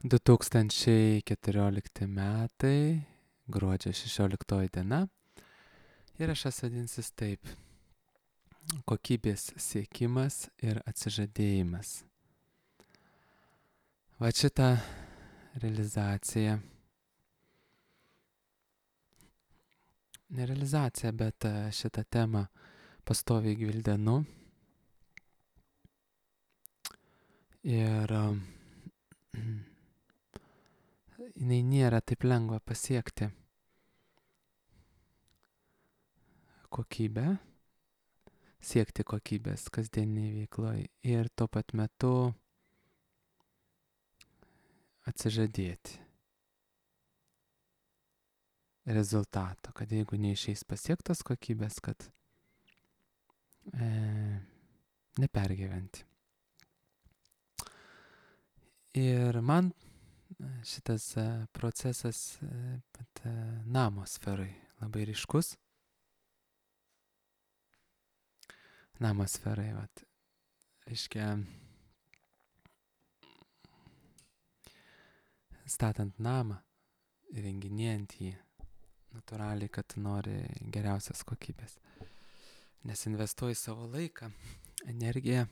2014 metai, gruodžio 16 diena. Įrašas vadinsis taip: kokybės siekimas ir atsižadėjimas. Va šitą realizaciją, ne realizaciją, bet šitą temą pastoviai gvildenu. Ir jinai nėra taip lengva pasiekti kokybę, siekti kokybės kasdieniniai veikloje ir tuo pat metu atsižadėti rezultato, kad jeigu neišeis pasiektos kokybės, kad nepergyventi. Ir man šitas procesas namo sferai labai ryškus. Namo sferai, reiškia, statant namą, įrenginėjant jį, natūraliai, kad nori geriausios kokybės. Nes investuoji savo laiką, energiją,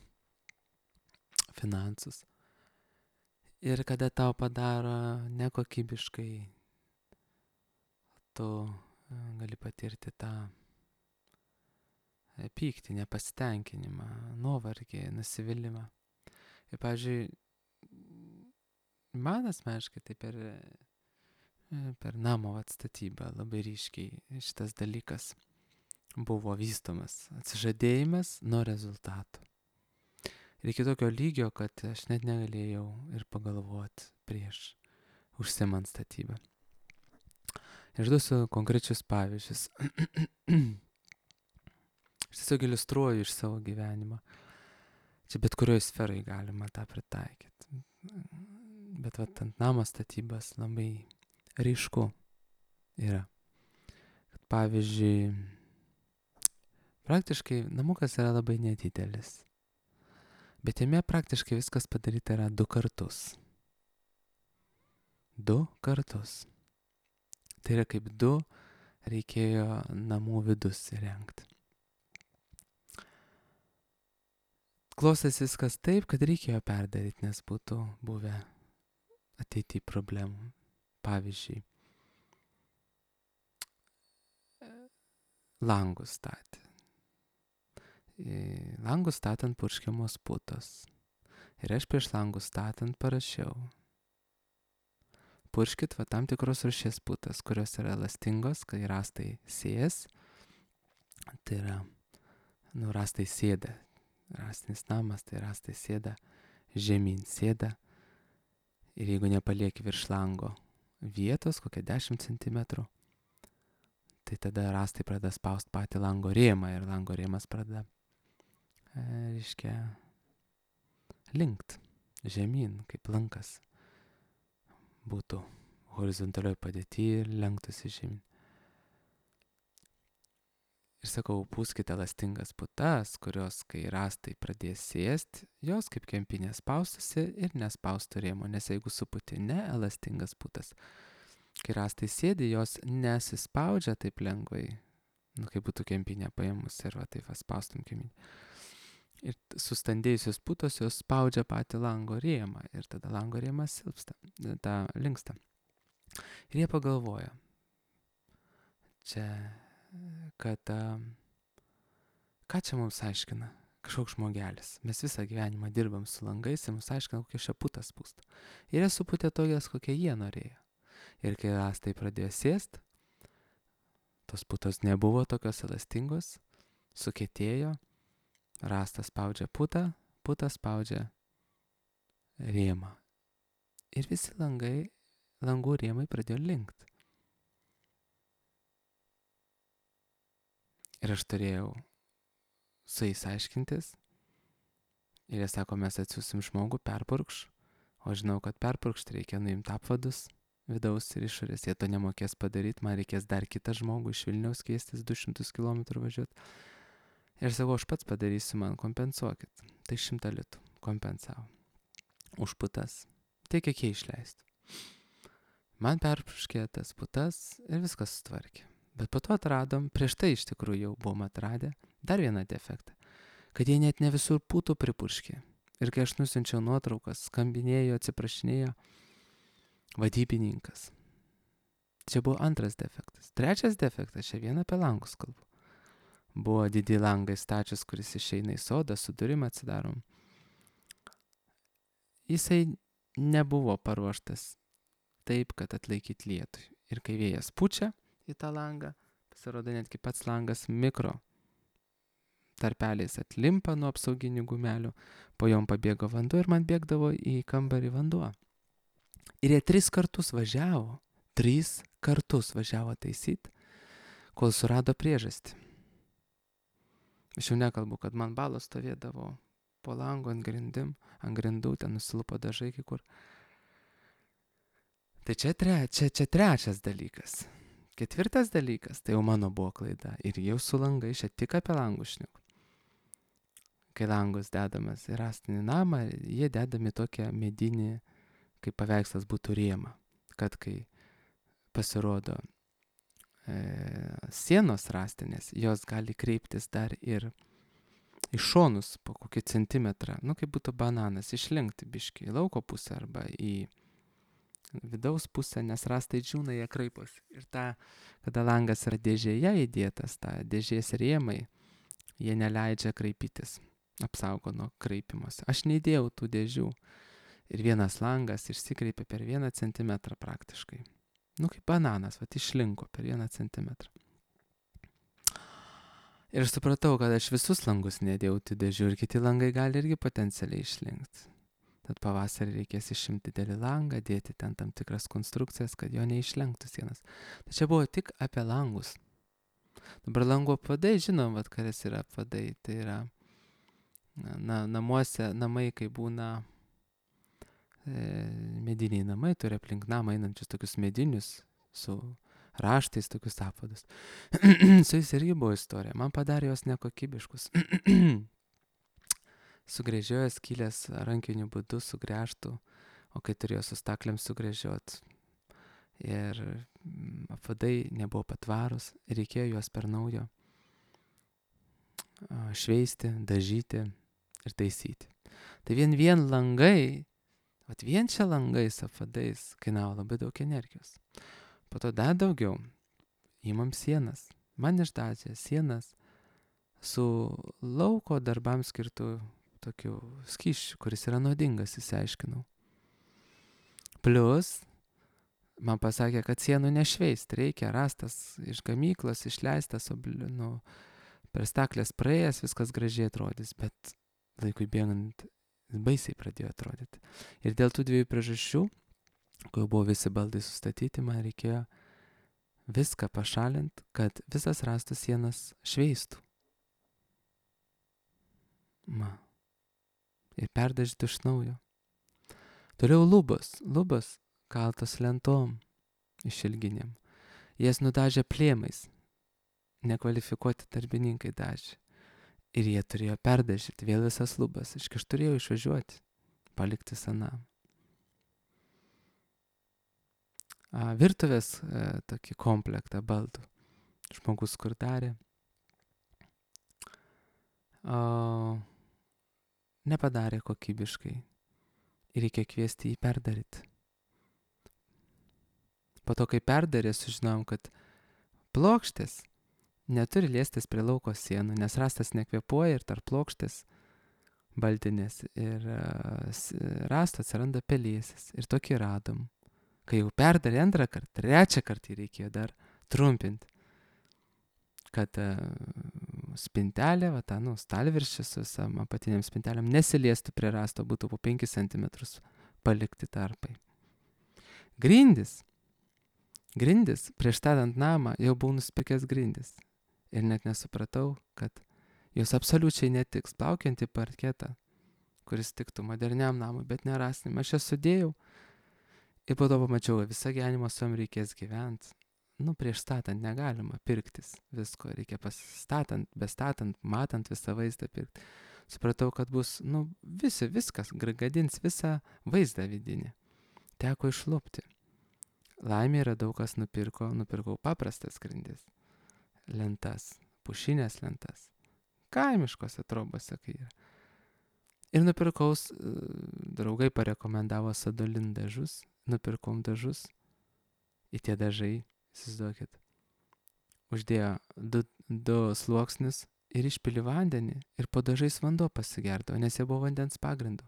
finansus. Ir kada tau padaro nekokybiškai, tu gali patirti tą pyktį, nepasitenkinimą, nuovargį, nusivylimą. Ir, pavyzdžiui, man asmeniškai tai per namo atstatybą labai ryškiai šitas dalykas buvo vystomas. Atsižadėjimas nuo rezultatų. Ir iki tokio lygio, kad aš net negalėjau ir pagalvoti prieš užsiimant statybą. Išduosiu konkrečius pavyzdžius. Aš tiesiog iliustruoju iš savo gyvenimo. Čia bet kurioje sferai galima tą pritaikyti. Bet ant namo statybas labai ryšku yra. Kad, pavyzdžiui, praktiškai namukas yra labai nedidelis. Bet jame praktiškai viskas padaryta yra 2 kartus. 2 kartus. Tai yra kaip 2 reikėjo namų vidus įrengti. Klostėsi viskas taip, kad reikėjo perdaryti, nes būtų buvę ateityje problemų. Pavyzdžiui, langus statė. Langus statant purškiamos putos. Ir aš prieš langus statant parašiau: purškit tam tikros rūšies putas, kurios yra elastingos, kai rąstai sėjas. Tai yra, rąstai sėda. Rąstinis namas, tai rąstai sėda, žemyn sėda. Ir jeigu nepalieki virš lango vietos, kokią 10 cm, tai tada rąstai pradeda spausti patį lango rėmą ir lango rėmas pradeda, reiškia, linkt žemyn, kaip lankas būtų horizontalioj padėty ir lenktųsi žemyn. Ir sakau, pūskite elastingas putas, kurios, kai rąstai pradės sėsti, jos kaip kempinė spaustusi ir nespaustų rėmo, nes jeigu suputi ne elastingas putas, kai rąstai sėdi, jos nesispaudžia taip lengvai, kaip būtų kempinė paėmus ir taip spaustum kempinę. Ir sustandėjusios putos jos spaudžia patį lango rėmą ir tada lango rėmas silpsta, linksta. Ir jie pagalvoja, kad ką čia mums aiškina kažkoks žmogelis. Mes visą gyvenimą dirbam su langais ir mums aiškina, kokie šia putas pūsta. Ir jie suputė tokias, kokie jie norėjo. Ir kai rąstai pradėjo sėst, tos putos nebuvo tokios elastingos, sukietėjo, rąstas spaudžia putą, puta spaudžia rėmą. Ir visi langų rėmai pradėjo linkt. Ir aš turėjau su jais aiškintis. Ir jie sako, mes atsiųsim žmogų, perpurkš. O žinau, kad perpurkšti reikia nuimti apvadus vidaus ir išorės. Jie to nemokės padaryti, man reikės dar kitą žmogų iš Vilniaus keistis 200 km važiuoti. Ir sakau, aš pats padarysiu, man kompensuokit. Tai 100 litų kompensavo. Už putas Tai kiek jie išleisti. Man perpurškė tas putas ir viskas sutvarkė. Bet po to atradom, prieš tai iš tikrųjų jau buvom atradę dar vieną defektą, kad jie net ne visur putų pripurškė. Ir kai aš nusiunčiau nuotraukas, skambinėjo, atsiprašinėjo vadybininkas. Čia buvo antras defektas. Trečias defektas, čia vien apie langus kalbu. Buvo didį langai stačius, kuris išeina į sodą, su durim atsidarom. Jisai nebuvo paruoštas taip, kad atlaikyt lietui. Ir kai vėjas pučia į tą langą, pasirodo netgi pats langas mikro tarpeliais atlimpa nuo apsauginių gumelių, po jom pabėgo vanduo ir man bėgdavo į kambarį vanduo. Ir jie 3 kartus važiavo taisyt, kol surado priežastį. Aš jau nekalbu, kad man balos stovėdavo po lango ant grindų, ten nusilupo dažai kai kur. Tai čia trečias dalykas. Ketvirtas dalykas, tai jau mano buvo klaida. Ir jau su langai, čia tik apie langus šneku. Kai langus dedamas į rąstinį namą, jie dedami tokią medinį, kaip paveikslas būtų rėmą. Kad kai pasirodo sienos rąstinės, jos gali kreiptis dar ir į šonus po kokį centimetrą, kaip būtų bananas, išlinkti biškį į lauko pusę arba į vidaus pusę, nes rąstai džiūna, jie kraiposi. Ir kada langas yra dėžėje įdėtas, tą dėžės rėmai, jie neleidžia kraipytis, apsaugo nuo kraipimosi. Aš neįdėjau tų dėžių ir vienas langas išsikreipė per 1 centimetrą praktiškai. Kaip bananas, išlinko per 1 centimetrą. Ir aš supratau, kad aš visus langus nedėjau tų dėžių ir kiti langai gali irgi potencialiai išlinkti. Tad pavasarį reikės išimti didelį langą, dėti ten tam tikras konstrukcijas, kad jo neišlenktų sienas. Tai čia buvo tik apie langus. Dabar langų apvadai, žinom, kas yra apvadai. Tai yra namuose, namai, kai būna mediniai namai, turi aplink namą einančius tokius medinius su raštais, tokius apvadus. Su jais irgi buvo istorija. Man padarė jos nekokybiškus. Sugrėžiojo skylės rankiniu būdu, sugręžtų, o kai turėjo su staklėm sugrėžiot. Ir apvadai nebuvo patvarus, reikėjo juos per naujo šveisti, dažyti ir taisyti. Tai vien langai, vien čia langais apvadais kainavo labai daug energijos. Po to dar daugiau įmam sienas. Man išdažė sienas su lauko darbams skirtų tokių skysčių, kuris yra nuodingas, išsiaiškinau. Plius, man pasakė, kad sienų nešveist, reikia rastas iš gamyklos, išleistas, per staklės praėjęs, viskas gražiai atrodys, bet laikui bėgant baisiai pradėjo atrodyti. Ir dėl tų 2 priežasčių, kai buvo visi baldai sustatyti, man reikėjo viską pašalinti, kad visas rastas sienas šveistų. Ir perdažyti iš naujo. Toliau lubos kaltos lentom išilginėm. Jas nudažė plėmais. Nekvalifikuoti darbininkai dažė. Ir jie turėjo perdažyti vėl visas lubas. Aš turėjau išvažiuoti, palikti senam. Virtuvės tokį komplektą baldų. Žmogus kur darė. Nepadarė kokybiškai ir reikia kviesti jį perdaryti. Po to, kai perdarė, sužinojom, kad plokštės neturi liestis prie lauko sienų, nes rastas nekvėpuoja ir tarp plokštės baldinės ir rasto atsiranda pelėsis. Ir tokį radom. Kai jau perdarė 2 kartą, 3 kartą reikėjo dar trumpinti, kad spintelė, stalviršis su visam apatiniam spintelėm nesiliestų prie rasto, būtų po 5 cm palikti tarpai. Grindis, prieš statant namą, jau buvau nusipirkęs grindis. Ir net nesupratau, kad jos absoliučiai netiks plaukiantį parketą, kuris tiktų moderniam namui, bet nerasnim. Aš jas sudėjau ir po to pamačiau, visą gyvenimą su jom reikės gyventi. Prieš statant negalima pirktis visko, reikia bestatant, matant visą vaizdą pirkti. Supratau, kad bus, viskas, gadins visą vaizdą vidinį. teko išlupti. Laimė yra daug kas nupirkau paprastas grindis, lentas, pušinės lentas, kaimiškose trobose kai yra. Ir nupirkau, draugai parekomendavo Sadolin dažus, nupirkom dažus, į tie dažai, įsivaizduokit, uždėjo du sluoksnius ir išpili vandenį ir po dažais vanduo pasigerdavo, nes jie buvo vandens pagrindu,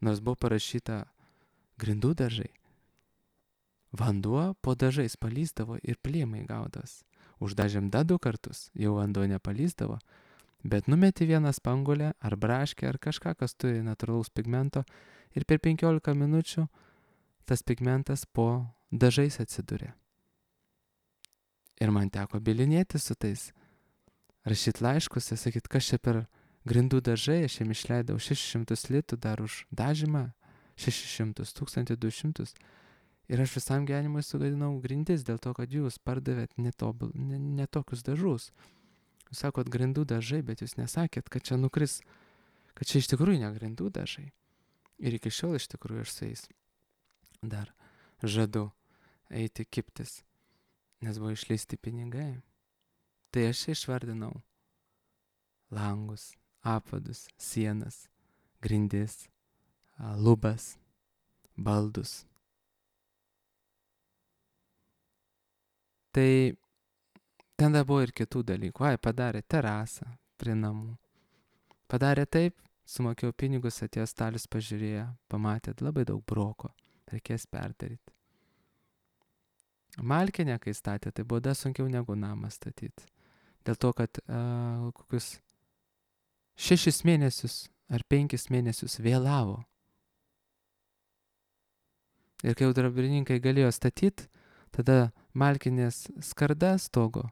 nors buvo parašyta grindų dažai. Vanduo po dažais palysdavo ir plėmai gaudos. Uždažėm 2 kartus, jau vanduo nepalysdavo, bet numeti vieną spangulę ar braškę ar kažką, kas turi natūralaus pigmento ir per 15 minučių tas pigmentas po dažais atsiduria. Ir man teko bilinėti su tais, rašyti laiškus ir sakyti, kas čia per grindų dažai, aš jiem išleidau 600 litų dar už dažymą, 600, 1200. Ir aš visam gyvenimui sugadinau grindis dėl to, kad jūs pardavėt ne tokius dažus. Jūs sakot grindų dažai, bet jūs nesakėt, kad čia nukris, kad čia iš tikrųjų ne grindų dažai. Ir iki šiol iš tikrųjų aš su jais dar žadu eiti kiptis, nes buvo išleisti pinigai. Tai aš išvardinau langus, apvadus, sienas, grindis, lubas, baldus. Tai ten dar buvo ir kitų dalykų. Padarė terasą prie namų. Padarė taip, sumokėjau pinigus, atėjo Stalius, pažiūrėjo, pamatė labai daug broko. Reikės perdaryti. Malkinę, kai statė, tai buvo dar sunkiau negu namą statyti. Dėl to, kad kokius 6 mėnesius ar 5 mėnesius vėlavo. Ir kai jau darbininkai galėjo statyti, tada malkinės skarda stogo,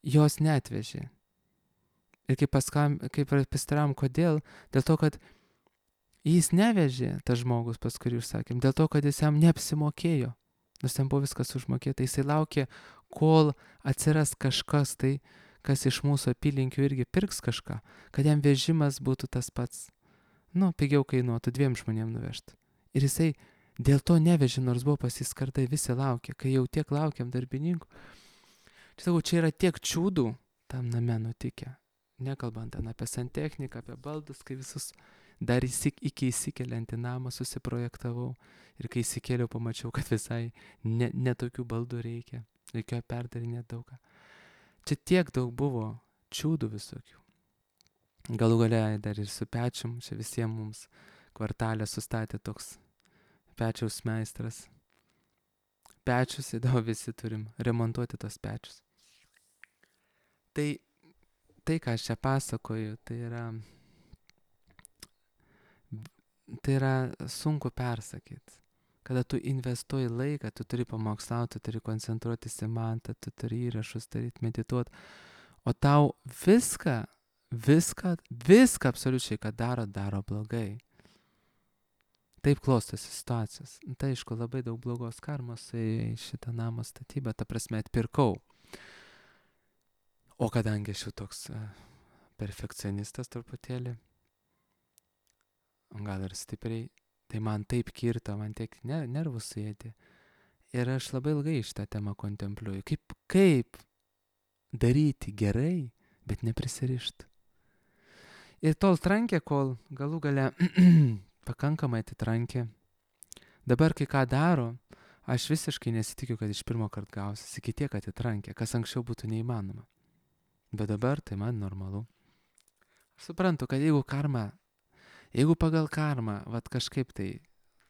jos neatvežė. Ir kai pastaram, kodėl? Dėl to, kad jis nevežė, tas žmogus, pas kurį užsakėm, dėl to, kad jis jam neapsimokėjo. Nors ten buvo viskas užmokėta, jisai laukė, kol atsiras kažkas tai, kas iš mūsų apylinkių irgi pirks kažką, kad jam vežimas būtų tas pats. Pigiau kainuotų 2 žmonėm nuvežti. Ir jisai dėl to nevežė, nors buvo pasiskardai, visi laukė, kai jau tiek laukiam darbininkų. Čia yra tiek čiūdų tam name nutikę. Nekalbant ten apie santechniką, apie baldus, kai visus dar iki įsikeliant į namą susiprojektavau. Ir kai įsikėliau, pamačiau, kad visai ne tokių baldų reikia. Reikėjo perdarinėti daugą. Čia tiek daug buvo čiūdų visokių. Galų gale dar ir su pečium, čia visiems mums kvartalė sustatė toks pečiaus meistras. Pečius, įdavo visi turim remontuoti tos pečius. Tai, ką aš čia pasakoju, tai yra sunku persakyti. Kada tu investuoji laiką, tu turi pamokslauti, tu turi koncentruotis į mantą, tu turi įrašus daryti, medituoti. O tau viską absoliučiai, ką daro blogai. Taip klostosi situacijos. Tai aišku, labai daug blogos karmos į šitą namo statybą, ta prasme atpirkau. O kadangi aš jau toks perfekcionistas truputėlį, gal ir stipriai, tai man taip kirto, man tiek nervų suėdė. Ir aš labai ilgai šitą temą kontempliuoju. Kaip daryti gerai, bet neprisirišti. Ir tol trankė, kol galų gale pakankamai atitrankė. Dabar, kai ką daro, aš visiškai nesitikiu, kad iš pirmo karto gausis, iki tiek atitrankė, kas anksčiau būtų neįmanoma. Bet dabar tai man normalu. Aš suprantu, kad jeigu pagal karmą, kažkaip tai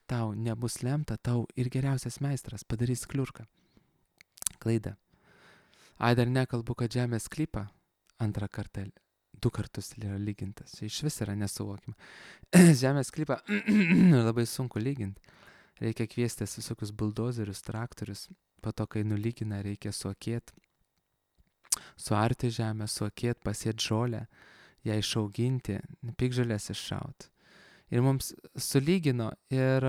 tau nebus lemta, tau ir geriausias meistras padarys kliurką. Klaidą. Dar nekalbu, kad žemės sklypą 2 kartą 2 kartus yra lygintas. Iš vis yra nesuvokima. Žemės sklypą labai sunku lyginti. Reikia kviestis visokius buldozerius, traktorius. Po to, kai nulygina, reikia suokėti. Suarti žemę, suokėti, pasėti žolę, ją išauginti, piktžolės iššauti. Ir mums sulygino ir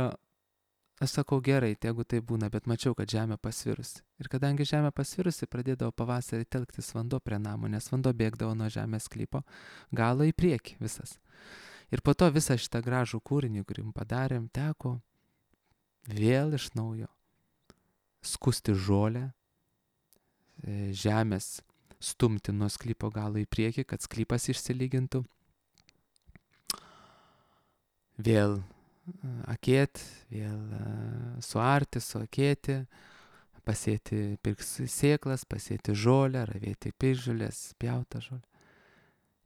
aš sakau gerai, jeigu tai būna, bet mačiau, kad žemė pasvirusi. Ir kadangi žemė pasvirusi, pradėdavo pavasarį telktis vanduo prie namų, nes vanduo bėgdavo nuo žemės sklypo galo į priekį visas. Ir po to visą šitą gražų kūrinį, kurį padarėm, teko vėl iš naujo skusti žolę, žemės stumti nuo sklypo galo į priekį, kad sklypas išsilygintų. Vėl akėt, vėl suarti, suakėti, pasėti sėklas, pasėti žolę, ravėti piržulės, pjautą žolę.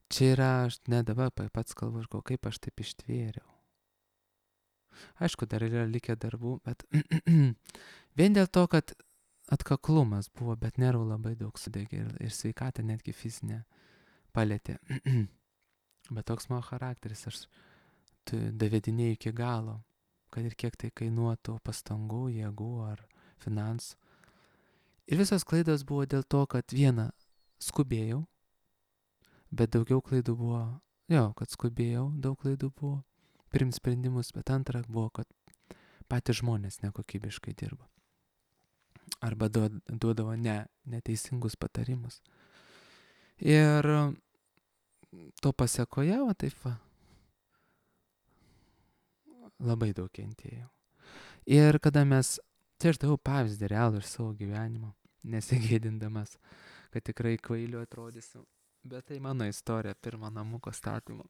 Čia yra, aš ne dabar pats kalbu, kaip aš taip ištvėriau. Aišku, dar yra likę darbų, bet vien dėl to, kad atkaklumas buvo, bet nervų labai daug sudegė ir sveikatą netgi fizinę palėtė. Bet toks mano charakteris, aš davedinėjau iki galo, kad ir kiek tai kainuotų pastangų, jėgų ar finansų. Ir visos klaidos buvo dėl to, kad viena, skubėjau, bet daugiau klaidų buvo, kad skubėjau, daug klaidų buvo, priimt sprendimus, bet antra buvo, kad patys žmonės nekokybiškai dirbo. Arba duodavo neteisingus patarimus. Ir to pasekoje, labai daug kentėjau. Ir kada tai aš daviau pavyzdį realų iš savo gyvenimo, nesigėdindamas, kad tikrai kvailiu atrodysiu. Bet tai mano istorija, pirmo namuko statymo.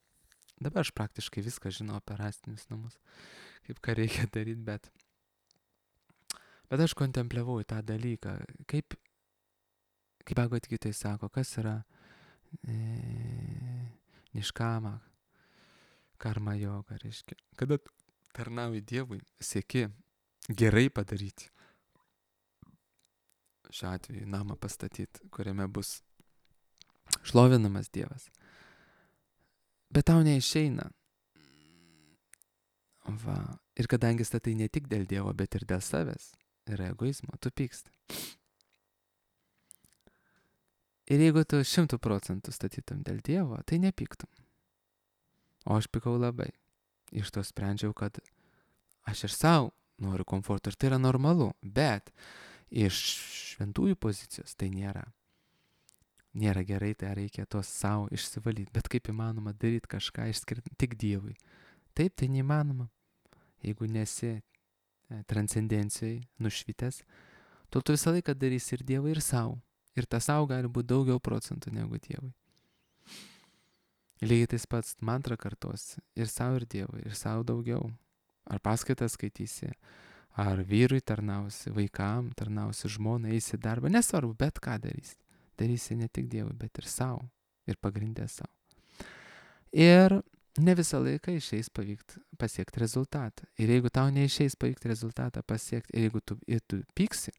Dabar aš praktiškai viską žinau apie rąstinius namus, kaip ką reikia daryti, bet aš kontempliavau į tą dalyką, kaip Bhagavad-gitoj sako, kas yra niškama, karma joga, reiškia. Kada tarnauji Dievui, sieki gerai padaryti. Šiuo atveju namą pastatyti, kuriame bus šlovinamas Dievas. Bet tau neišeina. Ir kadangi statai ne tik dėl Dievo, bet ir dėl savęs, yra egoizmo, tu pyksti. Ir jeigu tu 100% statytum dėl Dievo, tai nepyktum. O aš pykau labai. Iš to sprendžiau, kad aš ir savo noriu komforto ir tai yra normalu, bet iš šventųjų pozicijos tai nėra gerai, tai reikia tos savo išsivalyti. Bet kaip įmanoma daryti kažką išskirti tik Dievui? Taip, tai neįmanoma. Jeigu nesi transcendencijai nušvitęs, tu visą laiką darysi ir Dievui, ir savo. Ir tas savo gali būti daugiau procentų negu Dievui. Lygiai tais pats mantrą kartosi ir savo, ir Dievui, ir savo daugiau. Ar paskaitą skaitysi, ar vyrui tarnausi, vaikam tarnausi, žmonai, eisi darbą, nesvarbu, bet ką darysi. Darysi ne tik Dievui, bet ir savo. Ir pagrindė savo. Ir ne visą laiką išeis pasiekti rezultatą. Ir jeigu tau neišeis pavykti rezultatą pasiekti, ir jeigu tu pyksi,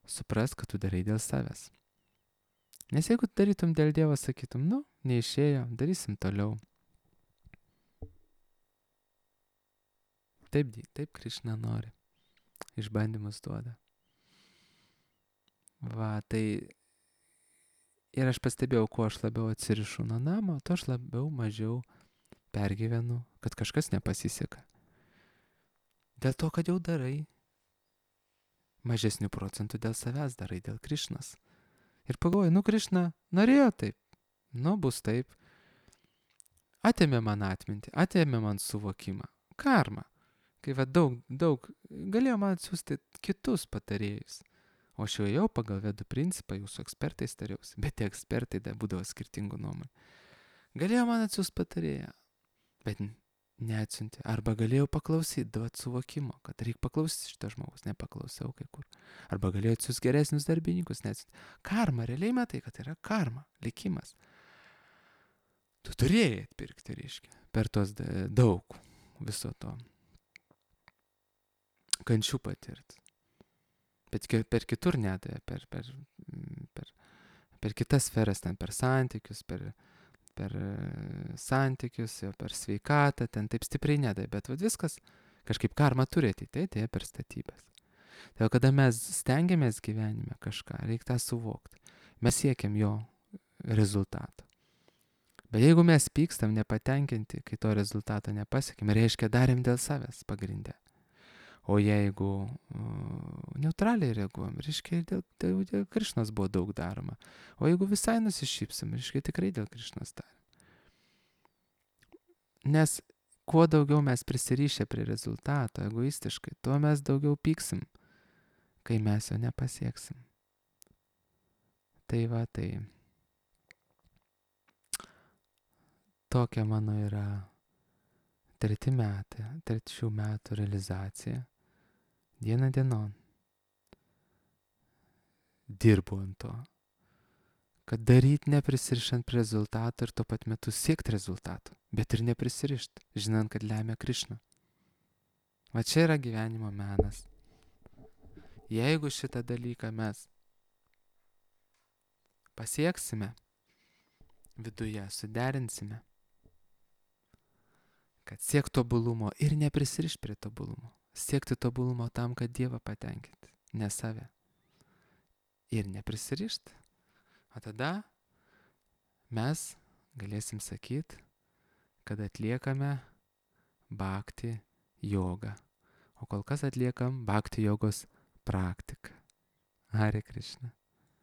supras, kad tu darai dėl savęs. Nes jeigu darytum dėl Dievo, sakytum, neišėjo, darysim toliau. Taip Krišna nori. Išbandymus duoda. Tai ir aš pastebėjau, kuo aš labiau atsirišu nuo namo, to aš mažiau pergyvenu, kad kažkas nepasiseka. Dėl to, kad jau darai. Mažesnių procentų dėl savęs darai, dėl Krišnos. Ir pagalvoju, Krišna norėjo taip. Bus taip. Atėmė man atmintį, atėmė man suvokimą. Karma. Kai daug galėjo man atsiųsti kitus patarėjus. O aš jau pagal vedų principą, jūsų ekspertais tariausi, bet tie ekspertai būdavo skirtingų nuomonių. Galėjo man atsiųsti patarėją, bet neatsiuntė. Arba galėjau paklausyti, duoti suvokimo, kad reikia paklausyti šitą žmogus, nepaklausiau kai kur. Arba galėjau atsiųsti geresnius darbininkus, neatsiuntė. Karma, realiai matai, kad yra karma, likimas. Tu turėjai atpirkti, reiškia, per tos daug viso to. Kančių patirti. Bet per kitur nedavė, per kitas sferas, ten per santykius, per santykius, per sveikatą, ten taip stipriai nedavė. Bet viskas kažkaip karma turi atėjo per statybas. Tai kada mes stengiamės gyvenime kažką, reikia tą suvokti. Mes siekiam jo rezultato. Bet jeigu mes pykstam nepatenkinti, kai to rezultato nepasiekime, reiškia darėm dėl savęs pagrindę. O jeigu neutraliai reaguojam, reiškia, dėl Krišnos buvo daug daroma. O jeigu visai nusišypsim, reiškia, tikrai dėl Krišnos darėm. Nes kuo daugiau mes prisirišę prie rezultato egoistiškai, tuo mes daugiau pyksim, kai mes jo nepasieksim. Tai va, tai tokia mano yra treti šių metų realizacija. Diena dienon dirbu ant to, kad daryt neprisirišant prie rezultato ir tuo pat metu siekti rezultato, bet ir neprisirišt, žinant, kad lemia Krišna. Va čia yra gyvenimo menas. Jeigu šitą dalyką mes pasieksime viduje, suderinsime, kad siekti tobulumo ir neprisirišti prie tobulumo, siekti tobulumo tam, kad Dievą patenkinti, ne save. Ir neprisirišti. O tada mes galėsim sakyti, kad atliekame bhakti jogą. O kol kas atliekam bhakti jogos praktiką. Hare Krishna.